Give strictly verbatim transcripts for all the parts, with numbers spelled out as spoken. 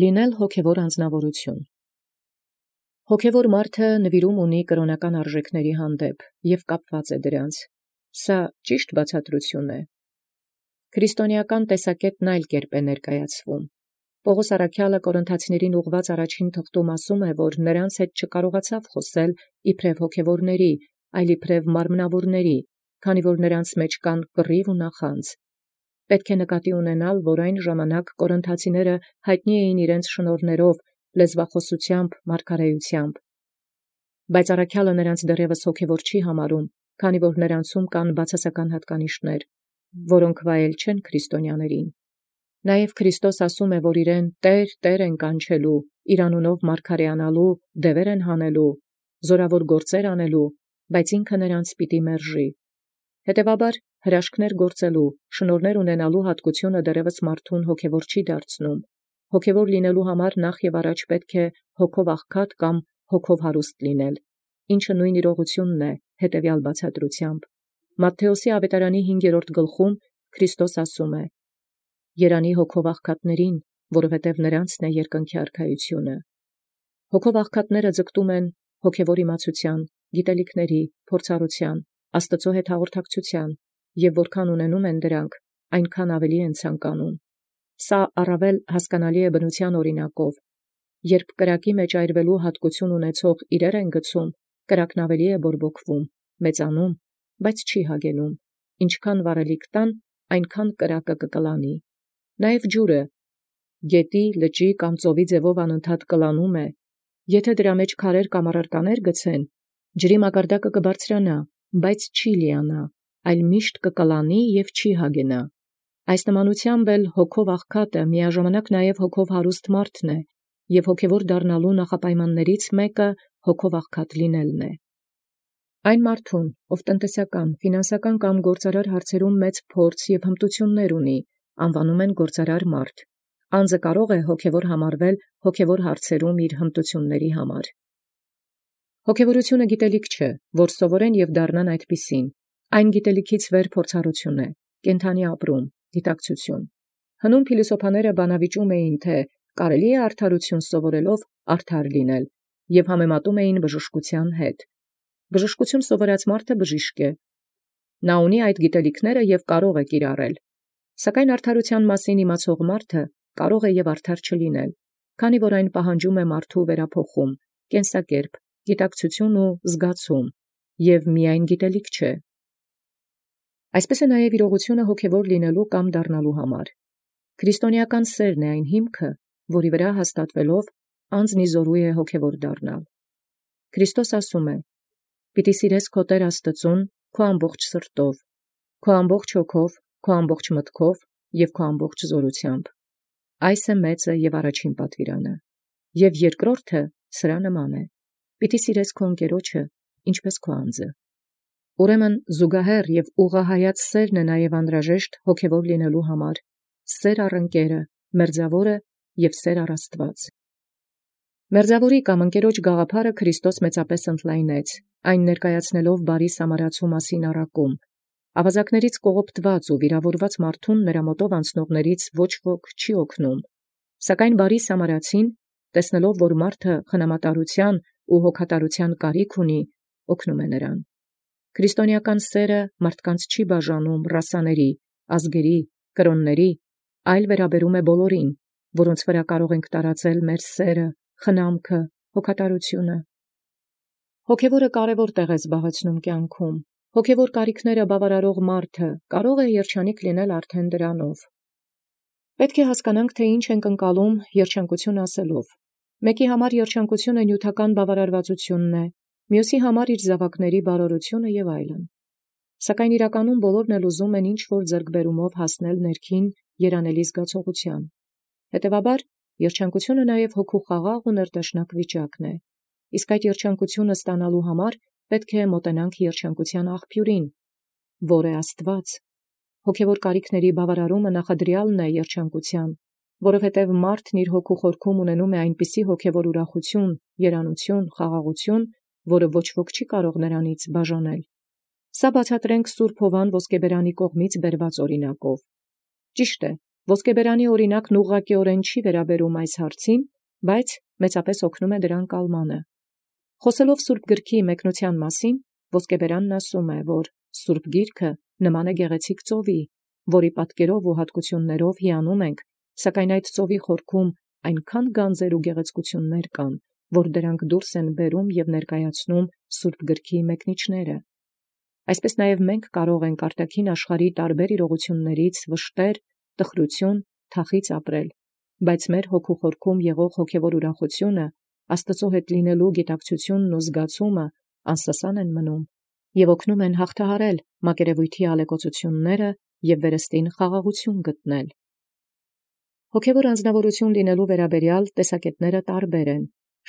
Լինել հոգևոր անձնավորություն։ Հոգևոր մարդը նվիրում ունի կրոնական արժեքների հանդեպ և կապված է դրանց։ Սա ճիշտ բացատրություն է։ Քրիստոնեական տեսակետն այլ կերպ է ներկայացվում։ Պողոս առաքյալը Կորինթացիներին ուղղված առաջին թղթում ասում է, որ նրանց հետ չկարողացավ խոսել իբրև հոգևորների, այլ իբրև մարմնավորների, քանի որ նրանց մեջ կան կռիվ ու նախանձ։ Պետք է նկատի ունենալ, որ այն ժամանակ կորինթացիները հայտնի էին իրենց շնորհներով, լեզվախոսությամբ, մարգարեությամբ։ Բայց առաքյալը նրանց դեռևս հոգևոր չի համարում, քանի որ նրանցում կան բացասական հատկանիշներ, որոնք վայել չեն քրիստոնյաներին։ Նաև Քրիստոս ասում է, որ իրեն Տեր, Տեր են կանչելու, իր անունով մարգարեանալու, դևեր են հանելու, զորավոր գործեր անելու, բայց ինքը նրանց պիտի մերժի։ Հետևաբար հրաշքներ գործելու, շնորհներ ունենալու հատկությունը դեռևս մարդուն հոգևոր չի դարձնում։ Հոգևոր լինելու համար նախ եւ առաջ պետք է հոգով աղքատ կամ հոգով հարուստ լինել, ինչը նույն իրողությունն է հետևյալ բացատրությամբ։ Մատթեոսի ավետարանի հինգերորդ գլխում Քրիստոս ասում է. «Երանի հոգով աղքատներին, որովհետև նրանցն է երկնքի արքայությունը»։ Հոգով աղքատները ձգտում են հոգևոր իմացության, գիտելիքների, փորձառության, Աստծո հետ հաղորդակցության, եւ որքան ունենում են դրանք, այնքան ավելի են ցանկանում։ Սա առավել հասկանալի է բնության օրինակով։ Երբ կրակի մեջ այրվելու հատկություն ունեցող իրեր են գցում, կրակն ավելի է բորբոքվում, մեծանում, բայց չի հագենում։ Ինչքան վառելիք տան, այնքան կրակը կկլանի։ Նաև ջուրը գետի, լճի կամ ծովի ձևով անընդհատ կլանում է։ Եթե դրա մեջ քարեր կամ առարկաներ գցեն, ջրի մակարդակը կբարձրանա, բայց չի լիանա, այլ միշտ կկլանի և չի հագենա։ Այս նմանությամբ էլ հոգով աղքատը միաժամանակ նաև հոգով հարուստ մարդն է, և հոգևոր դառնալու նախապայմաններից մեկը հոգով աղքատ լինելն է։ Այն մարդուն, ով տնտեսական, ֆինանսական կամ գործարար հարցերում մեծ փորձ և հմտություններ ունի, անվանում են գործարար մարդ։ Անձը կարող է հոգևոր համարվել հոգևոր հարցերում իր հմտությունների համար։ Հոգևորությունը գիտելիք չէ, որ սովորեն և դառնան այդպիսին։ Այն գիտելիքից վեր փորձառություն է, կենդանի ապրում, գիտակցություն։ Հնում փիլիսոփաները բանավիճում էին, թե կարելի է արդարություն սովորելով արդար լինել, և համեմատում էին բժշկության հետ։ Բժշկություն սովորած մարդը բժիշկ է։ Նա ունի այդ գիտելիքները և կարող է կիրառել։ Սակայն արդարության մասին իմացող մարդը կարող է և արդար չլինել, քանի որ այն պահանջում է մարդու վերափոխում, կենսակերպ, գիտակցություն ու զգացում, և միայն գիտելիք չէ։ Այսպես է նաև իրողությունը հոգևոր լինելու կամ դառնալու համար։ Քրիստոնեական սերն է այն հիմքը, որի վրա հաստատվելով անձն ի զորու է հոգևոր դառնալ։ Քրիստոս ասում է. «Պիտի սիրես քո Տեր Աստծուն քո ամբողջ սրտով, քո ամբողջ հոգով, քո ամբողջ մտքով և քո ամբողջ զորությամբ։ Այս է մեծը և առաջին պատվիրանը։ Եվ երկրորդը սրա նման է. պիտի սիրես քո ընկերոջը, ինչպես քո անձը»։ Ուրեմն զուգահեռ և ուղղահայաց սերն է նաև անհրաժեշտ հոգևոր լինելու համար, սեր առ ընկերը, մերձավորը և սեր առ Աստված։ Մերձավորի կամ ընկերոջ գաղափարը Քրիստոս մեծապես ընդլայնեց, այն ներկայացնելով բարի սամարացու մասին առակում։ Ավազակներից կողոպտված ու վիրավորված մարդուն նրա մոտով անցնողներից ոչ ոք չի օգնում։ Սակայն բարի սամարացին, տեսնելով, որ մարդը խնամատարության ու հոգատարության կարիք ունի, օգնում է նրան։ Քրիստոնեական սերը մարդկանց չի բաժանում ռասաների, ազգերի, կրոնների, այլ վերաբերում է բոլորին, որոնց վրա կարող ենք տարածել մեր սերը, խնամքը, հոգատարությունը։ Հոգևորը կարևոր տեղ է զբաղեցնում կյանքում։ Հոգևոր կարիքները բավարարող մարդը կարող է երջանիկ լինել արդեն դրանով։ Պետք է հասկանանք, թե ինչ ենք ընկալում երջանկություն ասելով։ Մեկի համար երջանկությունը նյութական բավարարվածությունն է, մյուսի համար իր զավակների բարօրությունը և այլն։ Սակայն իրականում բոլորն էլ ուզում են ինչ-որ ձեռքբերումով հասնել ներքին երանելի զգացողության։ Հետևաբար, երջանկությունը նաև հոգու խաղաղ ու ներդաշնակ վիճակն է։ Իսկ այդ երջանկությունը ստանալու համար պետք է մոտենանք երջանկության աղբյուրին, որ է Աստված։ Հոգևոր կարիքների բավարարումը նախադրյալն է երջանկության, որովհետև մարդն իր հոգու խորքում ունենում է այնպիսի հոգևոր ուրախություն, երանություն, խաղաղություն, որը ոչ ոք չի կարող նրանից բաժանել։ Սա բացատրենք Սուրբ Հովվան Ոսկեբերանի կողմից բերված օրինակով։ Ճիշտ է, Ոսկեբերանի օրինակն ուղղակիորեն չի վերաբերում այս հարցին, բայց մեծապես օգնում է դրան կալմանը։ Խոսելով Սուրբ Գրքի մեկնության մասին, Ոսկեբերանն ասում է, որ Սուրբ Գիրքը նման է գեղեցիկ ծովի, որի պատկերով ու հատկություններով հիանում ենք, սակայն այդ ծովի խորքում այնքան գանձեր ու գեղեցկություններ կան, որ դրանք դուրս են բերում և ներկայացնում Սուրբ Գրքի մեկնիչները։ Այսպես նաև մենք կարող ենք արտաքին աշխարհի տարբեր իրողություններից վշտեր, տխրություն, թախիծ ապրել, բայց մեր հոգու խորքում եղող հոգևոր ուրախությունը, Աստծո հետ լինելու գիտակցությունն ու զգացումը անսասան են մնում և օգնում են հաղթահարել մակերևույթի ալեկոծությունները և վերստին խաղաղություն գտնել։ Հոգևոր անձնավորություն լինելու վերաբերյալ տեսակետները տարբեր են։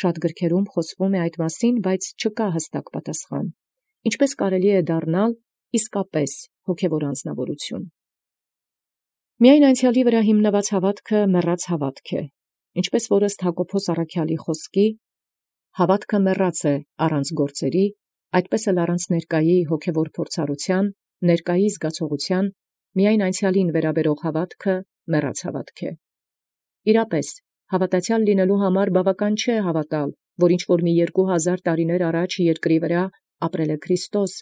Շատ գրքերում խոսվում է այդ մասին, բայց չկա հստակ պատասխան։ Ինչպես կարելի է դառնալ իսկապես հոգևոր անձնավորություն։ Միայն անցյալի վրա հիմնված հավատքը մեռած հավատք է, ինչպես որ ըստ Հակոբոս առաքյալի խոսքի, հավատքը մեռած է առանց գործերի, այդպես էլ առանց ներկայի հոգևոր փորձառության, ներկայի զգացողության, միայն անցյալին վերաբերող հավատքը մեռած հավատք է։ Իրապես, հավատացյալ լինելու համար բավական չէ հավատալ, որ ինչ-որ մի երկու հազար տարիներ առաջ երկրի վրա ապրել է Քրիստոս,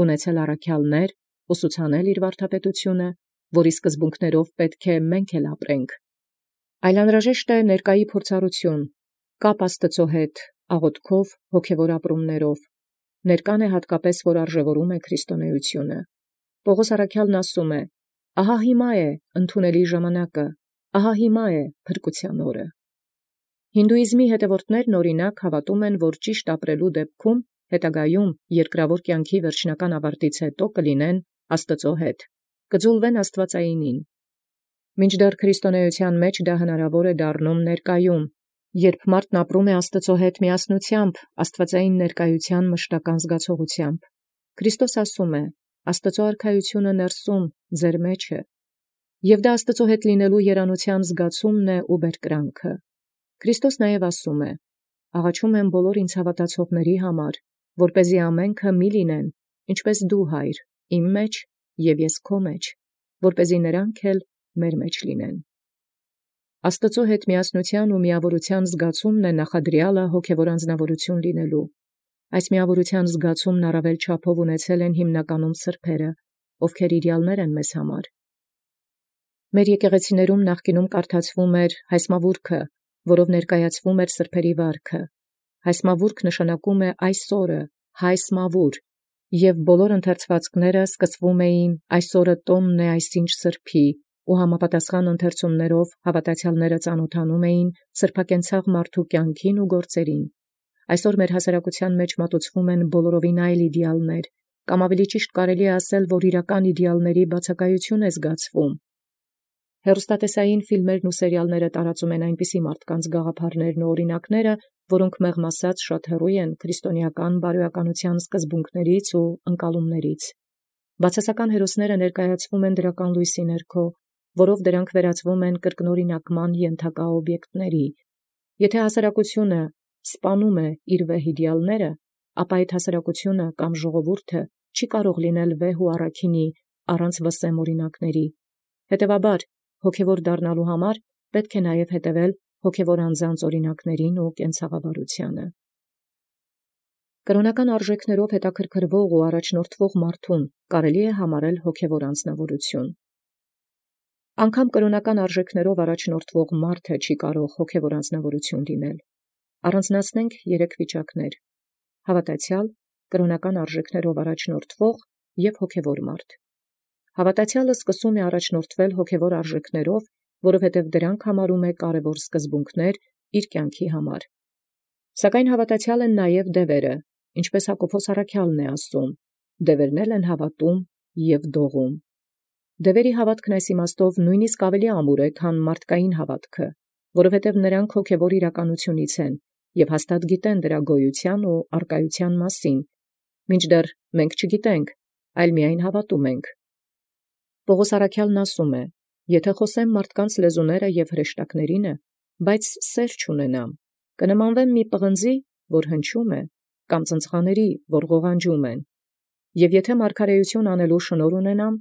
ունեցել առաքյալներ, ուսուցանել իր վարդապետությունը, որի սկզբունքներով պետք է մենք էլ ապրենք։ Այլ անհրաժեշտ է ներկայի փորձառություն, կապ Աստծո հետ, աղոթքով, հոգևոր ապրումներով։ Ներկան է հատկապես, որ արժևորում է քրիստոնեությունը։ Պողոս առաքյալն ասում է. «Ահա հիմա է ընդունելի ժամանակը, ահա հիմա է փրկության օրը»։ Հինդուիզմի հետևորդներն օրինակ հավատում են, որ ճիշտ ապրելու դեպքում հետագայում երկրավոր կյանքի վերջնական ավարտից հետո կլինեն Աստծո հետ, կձուլվեն աստվածայինին։ Մինչդեռ քրիստոնեության մեջ դա հնարավոր է դառնում ներկայում, երբ մարդն ապրում է Աստծո հետ միասնությամբ, աստվածային ներկայության մշտական զգացողությամբ։ Քրիստոս ասում է. «Աստծո արքայությունը ներսում, ձեր մեջ է», և դա Աստծո հետ լինելու երանության զգացումն է ու բերկրանքը։ Քրիստոս նաև ասում է. «Աղաչում եմ բոլոր ինձ հավատացողների համար, որպեսզի ամենքը մի լինեն, ինչպես դու, Հայր, իմ մեջ և ես քո մեջ, որպեսզի նրանք էլ մեր մեջ լինեն»։ Աստծո հետ միասնության ու միավորության զգացումն է նախադրյալը հոգևոր անձնավորություն լինելու։ Այս միավորության զգացումն առավել չափով ունեցել են հիմնականում սրբերը, ովքեր իդեալներ են մեզ համար։ Մեր եկեղեցիներում նախկինում կարդացվում էր հայսմավուրքը, որով ներկայացվում էր սրբերի վարքը։ Հայսմավուրք նշանակում է այսօրը, հայսմավուր, և բոլոր ընթերցվածքները սկսվում էին այսօրը տոնն է այսինչ սրբի, ու համապատասխան ընթերցումներով հավատացյալները ծանոթանում էին սրբակենցաղ մարդու կյանքին ու գործերին։ Այսօր մեր հասարակության մեջ մատուցվում են բոլորովին այլ իդեալներ, կամ ավելի ճիշտ կարելի է ասել, որ իրական իդեալների բացակայություն է զգացվում։ Հեռուստատեսային ֆիլմերն ու սերիալները տարածում են այնպիսի մարդկանց գաղափարներն ու օրինակները, որոնք մեղմ ասած շատ հեռու են քրիստոնեական բարոյականության սկզբունքներից ու ընկալումներից։ Բացասական հերոսները ներկայացվում են դրական լույսի ներքո, որով դրանք վերածվում են կրկնօրինակման ենթակա օբյեկտների։ Եթե հասարակությունը սպանում է իր վեհ իդեալները, ապա այդ հասարակությունը կամ ժողովուրդը չի կարող լինել վեհ ու առաքինի առանց վսեմ օրինակների։ Հետևաբար, հոգևոր դառնալու համար պետք է նաև հետևել հոգևոր անձանց օրինակներին ու կենցաղավարությանը։ Կրոնական արժեքներով հետաքրքրվող ու առաջնորդվող մարդուն կարելի է համարել հոգևոր անձնավորություն։ Անգամ կրոնական արժեքներով առաջնորդվող մարդը չի կարող հոգևոր անձնավորություն լինել։ Առանձնացնենք երեք վիճակներ. հավատացյալ, կրոնական արժեքներով առաջնորդվող և հոգևոր մարդ։ Հավատացյալը սկսում է առաջնորդվել հոգևոր արժեքներով, որովհետև դրանք համարում է կարևոր սկզբունքներ իր կյանքի համար։ Սակայն հավատացյալ են նաև դևերը, ինչպես Հակոբոս առաքյալն է ասում. «Դևերն էլ են հավատում և դողում»։ Դևերի հավատքն այս իմաստով նույնիսկ ավելի ամուր է, քան մարդկային հավատքը, որովհետև նրանք հոգևոր իրականությունից են և հաստատ գիտեն դրա գոյության ու առկայության մասին, մինչդեռ մենք չգիտենք, այլ միայն հավատում ենք։ Պողոս առաքյալն ասում է. «Եթե խոսեմ մարդկանց լեզուները և հրեշտակներինը, բայց սեր չունենամ, կնմանվեմ մի պղնձի, որ հնչում է, կամ ծնծղաների, որ ղողանջում են։ Եվ եթե մարգարեություն անելու շնորհ ունենամ,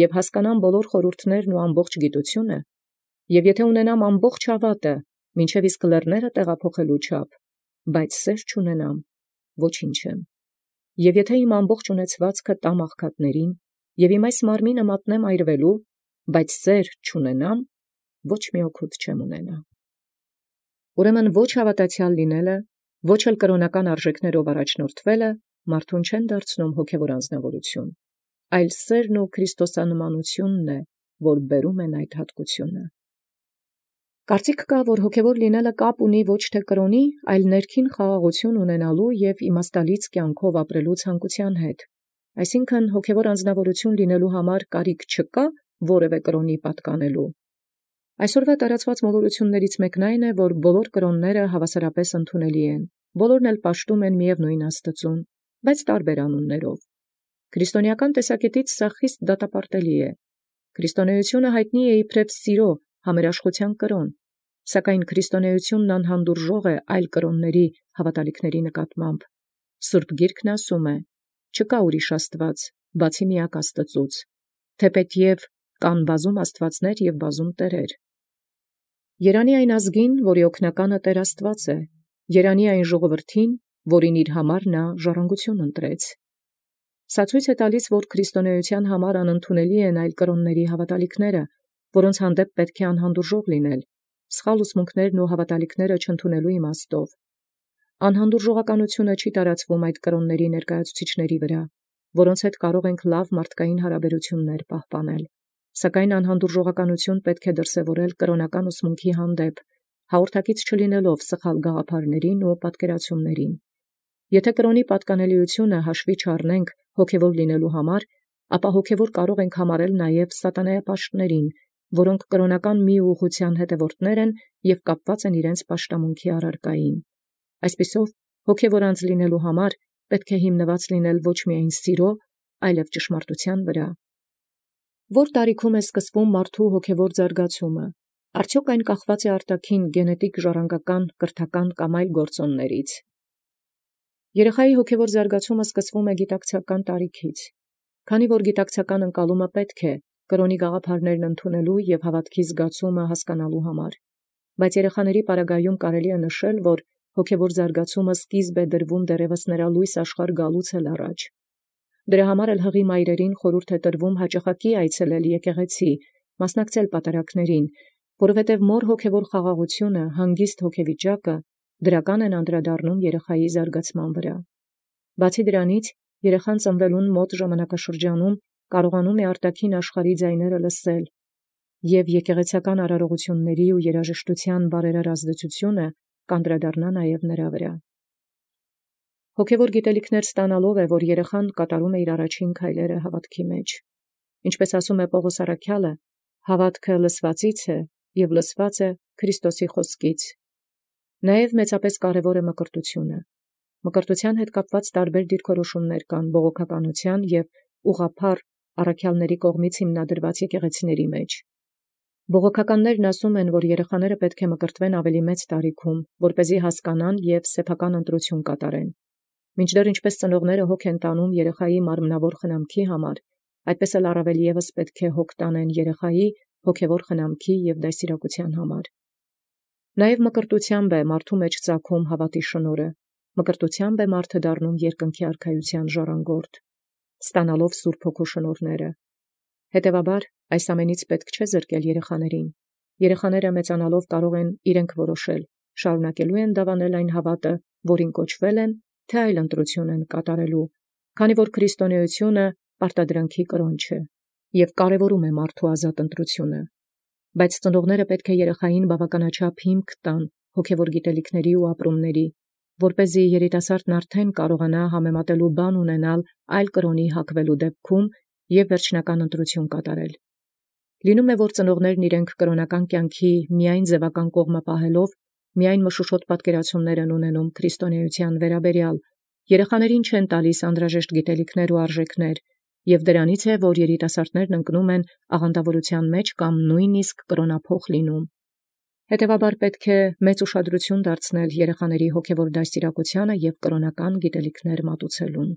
և հասկանամ բոլոր խորհուրդներն ու ամբողջ գիտությունը, Եւ եթե ունենամ ամբողջ հավատը, մինչև իսկ լեռները տեղափոխելու չափ, բայց սեր չունենամ, ոչինչ եմ։ Եվ եթե իմ ամբողջ ունեցվածքը տամ աղքատներին, եւ իմ այս մարմինը մատնեմ այրվելու, բայց սեր չունենամ, ոչ մի օգուտ չեմ ունենա։ Ուրեմն ոչ հավատացյալ լինելը, ոչ էլ կրոնական արժեքներով առաջնորդվելը մարդուն չեն դարձնում հոգևոր անձնավորություն, այլ սերն ու քրիստոսանմանությունն է, որ բերում են այդ հատկությունը։ Կարծիք կա, որ հոգևոր լինելը կապ ունի ոչ թե կրոնի, այլ ներքին խաղաղություն ունենալու եւ իմաստալից կյանքով ապրելու ցանկության հետ։ Այսինքն հոգևոր անձնավորություն լինելու համար կարիք չկա որևէ կրոնի պատկանելու։ Այսօրվա տարածված մոլորություններից մեկն այն է, որ բոլոր կրոնները հավասարապես ընդունելի են, բոլորն էլ պաշտում են միևնույն Աստծուն, բայց տարբեր անուններով։ Քրիստոնեական տեսակետից սա խիստ դատապարտելի է։ Քրիստոնեությունը հայտնի է իբրև սիրո, համերաշխության կրոն, սակայն քրիստոնեությունն անհանդուրժող է այլ կրոնների հավատալիքների նկատմամբ։ Սուրբ Գիրքն ասում է. «Չկա ուրիշ Աստված, բացի միակ Աստծուց, թեպետև կան բազում աստվածներ և բազում տերեր»։ Երանի այն ազգին, որի օգնականը Տեր Աստված է, երանի այն ժողովրդին, որին իր համար նա ժառանգություն ընտրեց։ Սա ցույց է տալիս, որ քրիստոնեության համար անընդունելի են այլ կրոնների հավատալիքները, որոնց հանդեպ պետք է անհանդուրժող լինել, սխալ ուսմունքներն ու հավատալիքները չընդունելու իմաստով։ Անհանդուրժողականությունը չի տարածվում այդ կրոնների ներկայացուցիչների վրա, որոնց հետ կարող ենք լավ մարդկային հարաբերություններ պահպանել, սակայն անհանդուրժողականություն պետք է դրսևորել կրոնական ուսմունքի հանդեպ, հաղորդակից չլինելով սխալ գաղափարներին ու պատկերացումներին։ Եթե կրոնի պատկանելիությունը հաշվի չառնենք հոգևոր լինելու համար, ապա հոգևոր կարող ենք համարել նաև սատանայապաշտներին, որոնք կրոնական մի ուղղության հետևորդներ են և կապված են իրենց պաշտամունքի առարկային։ Այսպիսով, հոգևոր անձ լինելու համար պետք է հիմնված լինել ոչ միայն սիրո, այլև ճշմարտության վրա։ Որ տարիքում է սկսվում մարդու հոգևոր զարգացումը, արդյոք այն կախված է արտաքին գենետիկ ժառանգական, կրթական կամ այլ գործոններից։ Երեխայի հոգևոր զարգացումը սկսվում է գիտակցական տարիքից, քանի որ գիտակցական ընկալումը պետք է կրոնի գաղափարներն ընդունելու և հավատքի զգացումը հասկանալու համար, բայց երեխաների պարագայում կարելի է նշել, որ հոգևոր զարգացումը սկիզբ է դրվում դեռևս նրա լույս աշխարհ գալուց էլ առաջ։ Դրա համար էլ հղի մայրերին խորհուրդ է տրվում հաճախակի այցելել եկեղեցի, մասնակցել պատարագներին, որովհետև մոր հոգևոր խաղաղությունը, հանգիստ հոգեվիճակը դրական են անդրադառնում երեխայի զարգացման վրա։ Բացի դրանից, երեխան ծնվելուն մոտ ժամանակաշրջանում կարողանում է արտաքին աշխարհի ձայները լսել, և եկեղեցական արարողությունների ու երաժշտության բարերար ազդեցությունը կանդրադառնա նաև նրա վրա։ Հոգևոր գիտելիքներ ստանալով է, որ երեխան կատարում է իր առաջին քայլերը հավատքի մեջ։ Ինչպես ասում է Պողոս առաքյալը, հավատքը լսվածից է և լսված է Քրիստոսի խոսքից։ Նաև մեծապես կարևոր է մկրտությունը։ Մկրտության հետ կապված տարբեր դիրքորոշումներ կան բողոքականության և ուղղափառ առաքյալների կողմից հիմնադրված եկեղեցիների մեջ։ Բողոքականներն ասում են, որ երեխաները պետք է մկրտվեն ավելի մեծ տարիքում, որպեսզի հասկանան և սեփական ընտրություն կատարեն։ Մինչդեռ ինչպես ծնողները հոգ են տանում երեխայի մարմնավոր խնամքի համար, այդպես էլ առավել ևս պետք է հոգ տանեն երեխայի հոգևոր խնամքի և դաստիարակության համար։ Նաև մկրտությամբ է մարդու մեջ ծագում հավատի շնորհը, մկրտությամբ է մարդը դառնում երկնքի արքայության ժառանգորդ, ստանալով Սուրբ Հոգու շնորհները։ Հետևաբար, այս ամենից պետք չէ զրկել երեխաներին։ Երեխաները մեծանալով կարող են իրենք որոշել, շարունակելու են դավանել այն հավատը, որին կոչվել են, թե այլ ընտրություն են կատարելու, քանի որ քրիստոնեությունը պարտադրանքի կրոն չէ և կարևորում է մարդու ազատ ընտրությունը։ Բայց ծնողները պետք է երեխային բավականաչափ հիմք տան հոգևոր գիտելիքների ու ապրումների, որպեսզի երիտասարդն արդեն կարողանա համեմատելու բան ունենալ այլ կրոնի հակվելու դեպքում և վերջնական ընտրություն կատարել։ Լինում է, որ ծնողներն իրենք կրոնական կյանքի միայն ձևական կողմը պահելով, միայն մշուշոտ պատկերացումներ են ունենում քրիստոնեության վերաբերյալ, երեխաներին չեն տալիս անհրաժեշտ գիտելիքներ ու արժեքներ, և դրանից է, որ երիտասարդներն ընկնում են աղանդավորության մեջ կամ նույնիսկ կրոնափոխ լինում։ Հետևաբար պետք է մեծ ուշադրություն դարձնել երեխաների հոգևոր դաստիարակությանը և կրոնական գիտելիքներ մատուցելուն։